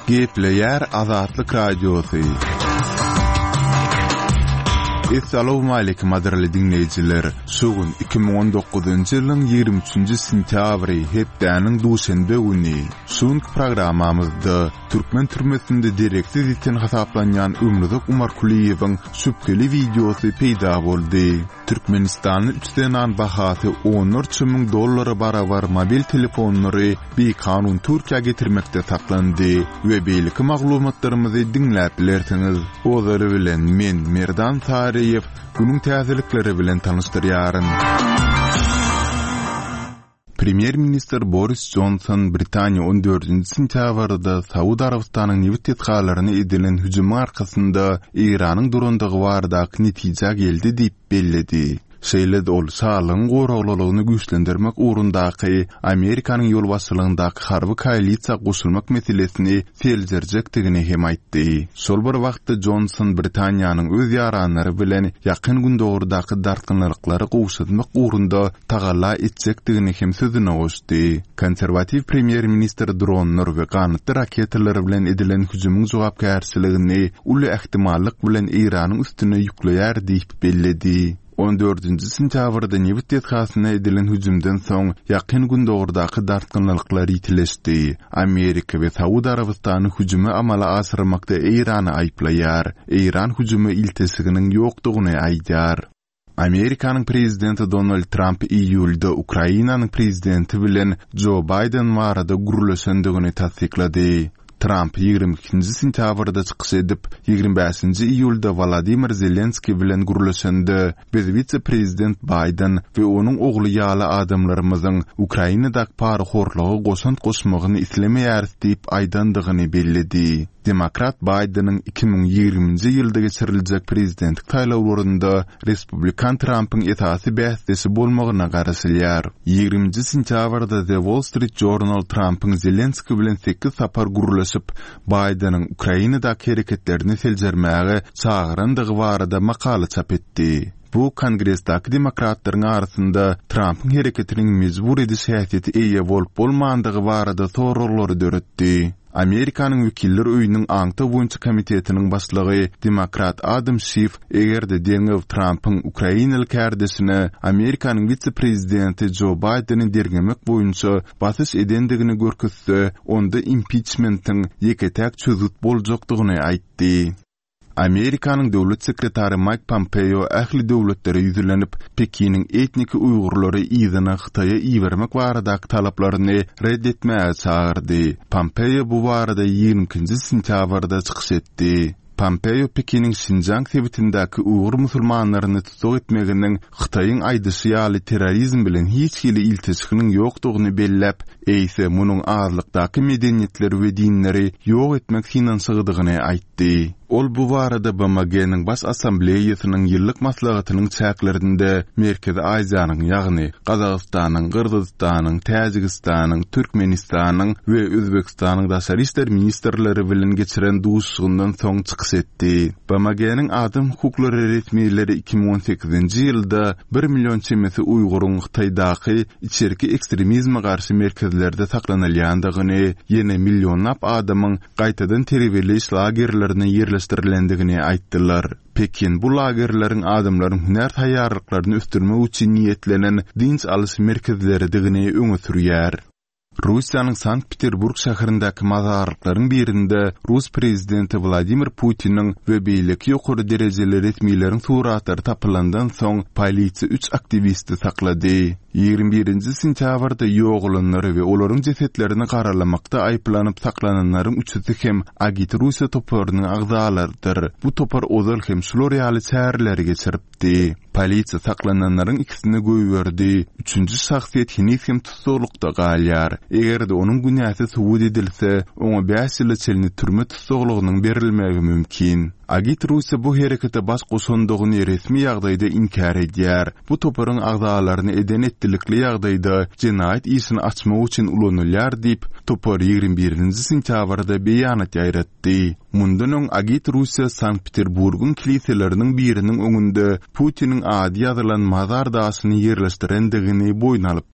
Gepleýär Azatlyk Radiosy. Essalawmaleýkim gadyrly diňleýjiler! Şu gün 2019-njy ýylyň 23-nji sentýabry, hepdäniň duşenbe güni. Şu günki programmamyzda türkmen türmesinde dereksiz ýiten hasaplanýan Ömruzak Umarkulyýewiň şübheli wideosy peýda boldy. Türkmenistanly üç zenan bahasy onlarça müň dollara barabar mobil telefonlary bikanun Türkiýä getirmekde saklandy we beýleki maglumatlarymyzy diňläp bilersiňiz. Ozaly bilen men, Merdan Saryýew, günüň täzelikleri bilen tanyşdyrýaryn. Premýer-ministr Boris Jonson Britaniýa on dördünji sentýabrda Saud Arabystanyň nebit desgalaryna edilen hüjümiň arkasynda Eýranyň durandygy baradaky netijä geldi diýip belledi. Şeýle-de ol şalygyň goraglylygyny güýçlendirmek ugrundaky Amerikanyň ýolbaşçylygyndaky harby koalisiýa goşulmak meselesini seljerjekdigini hem aýtdy. Şol bir wagtda Jonson Britaniýanyň öz ýaranlary bilen Ýakyn Gündogardaky dartgynlylyklary gowşatmak ugrunda tagalla etjekdigini hem sözüne goşdy. Konserwatiw premýer-ministr dronlar we ganatly raketalar bilen edilen hüjümiň jogapkärçiligini uly ähtimallyk bilen Eýranyň üstüne ýükleýär diýip belledi. On dördünji sentýabrda nebit desgasyna edilen hüjümden soň Ýakyn Gündogardaky dartgynlylyklar ýitileşdi. Amerika we Saud Arabystany hüjümi amala aşyrmakda Eýrany aýyplaýar. Eýran hüjüme ilteşiginiň ýokdugyny aýdýar. Amerikanyň prezidenti Donald Tramp iýulda Ukrainanyň prezidenti bilen Jo Baýden barada gürleşendigini tassyklady. Tramp 22-nji sentýabrda çykyş edip, 25-nji iýulda Wolodymyr Zelenskiý bilen gürleşende, Biz wise-prezident Baýden we onuň ogly ýaly adamlarymyzyň Ukrainadaky parahorluga goşant goşmagyny islemeýäris diýip aýdandygyny belledi. Demokrat Baýdeniň 2020-nji ýylda geçiriljek prezidentlik saýlawlarynda respublikan Trampyň esasy bäsdeşi bolmagyna garaşylýar. Ýigriminji sentýabrda The Wall Street Journal Trampyň Zelenskiý bilen sekiz sapar gürleşip, Baýdeniň Ukrainadaky hereketlerini seljermäge çagyrandygy barada makala çap etdi. Bu Kongresdäki demokratlaryň arasynda Trampyň hereketiniň mejbur ediş häsiýete eýe bolup-bolmandygy barada soraglary döretdi. Amerikanyň Wekiller öýüniň Aňtaw boýunça komitetiniň başlygy demokrat Adam Şif eger-de derňew Trampyň ukrainaly kärdeşine Amerikanyň wise-prezidenti Jo Baýdeni derňemek boýunça basyş edendigini görkezse, onda impiçmentiň ýeke-täk çözgüt boljakdygyny aýtdy. Amerikanyň döwlet sekretary Maýk Pompeo ähli döwletlere ýüzlenip, Pekiniň etniki uýgurlary yzyna Hytaýa ibermek baradaky talaplaryny ret etmäge çagyrdy. Pompeo bu barada 22-nji sentýabrda çykyş etdi. Pompeo Pekiniň Şinjiang sebitindäki uýgur musulmanlaryny tussag etmeginiň Hytaýyň aýdyşy ýaly terrorizm bilen hiç hili ilteşiginiň ýokdugyny belläp, eýse munuň azlykdaky medeniýetleri we dinleri ýok etmek synanyşygydygyny aýtdy. Ol bu barada BMG-niň Baş Assambleýasynyň ýyllyk maslahatynyň çäklerinde Merkezi Aziýanyň, ýagny Gazagystanyň, Gyrgyzystanyň, Täjigistanyň, Türkmenistanyň we Özbegistanyň daşary işler ministrleri bilen geçiren duşuşygyndan soň çykyş etdi. BMG-niň adam hukuklary resmileri 2018-nji ýylda bir million çemesi uýguryň Hytaýdaky içerki ekstremizme garşy merkezlerde saklanylýandygyny, ýene millionlap adamyň gaýtadan terbiýeleýiş lagerlerine ýerleşdirilendigini aýtdylar. Pekin bu lagerleriň adamlaryň hünär taýýarlyklaryny ösdürmek üçin niýetlenen dynç alyş merkezleridigini öňe sürýär. Russiýanyň Sankt-Peterburg şäherindäki mazarlyklaryň birinde rus prezidenti Wladimir Putiniň we beýleki ýokary derejeli resmileriň suratlary tapylandan soň, polisiýa üç aktiwisti saklady. 21-nji sentýabrda ýogalanlary we olaryň jesetlerini garalamakda aýyplanyp saklananlaryň üçüsi hem Agit Russiýa toparynyň agzalarydyr. Bu topar ozal hem şular ýaly çäreleri geçiripdi. Polisiýa saklananlaryň ikisini goýberdi, üçünji şahsyýet heniz hem tussaglykda galýar. Eger-de onuň günäsi subut edilse, oňa bäş ýyla çenli türme tussaglygynyň berilmegi mümkin. Agit Russiýa bu herekete baş goşandygyny resmi ýagdaýda inkär edýär. Bu toparyň agzalaryny eden-etdilikli ýagdaýda jenaýat işini açmak üçin ulanylýar diýip, topar 21-nji sentýabrda beýanat ýaýratdy. Mundan öň Agit Russiýa Sankt-Peterburgyň kiliseleriniň biriniň öňünde Putiniň ady ýazylan mazar daşyny ýerleşdirendigini boýun alypdy.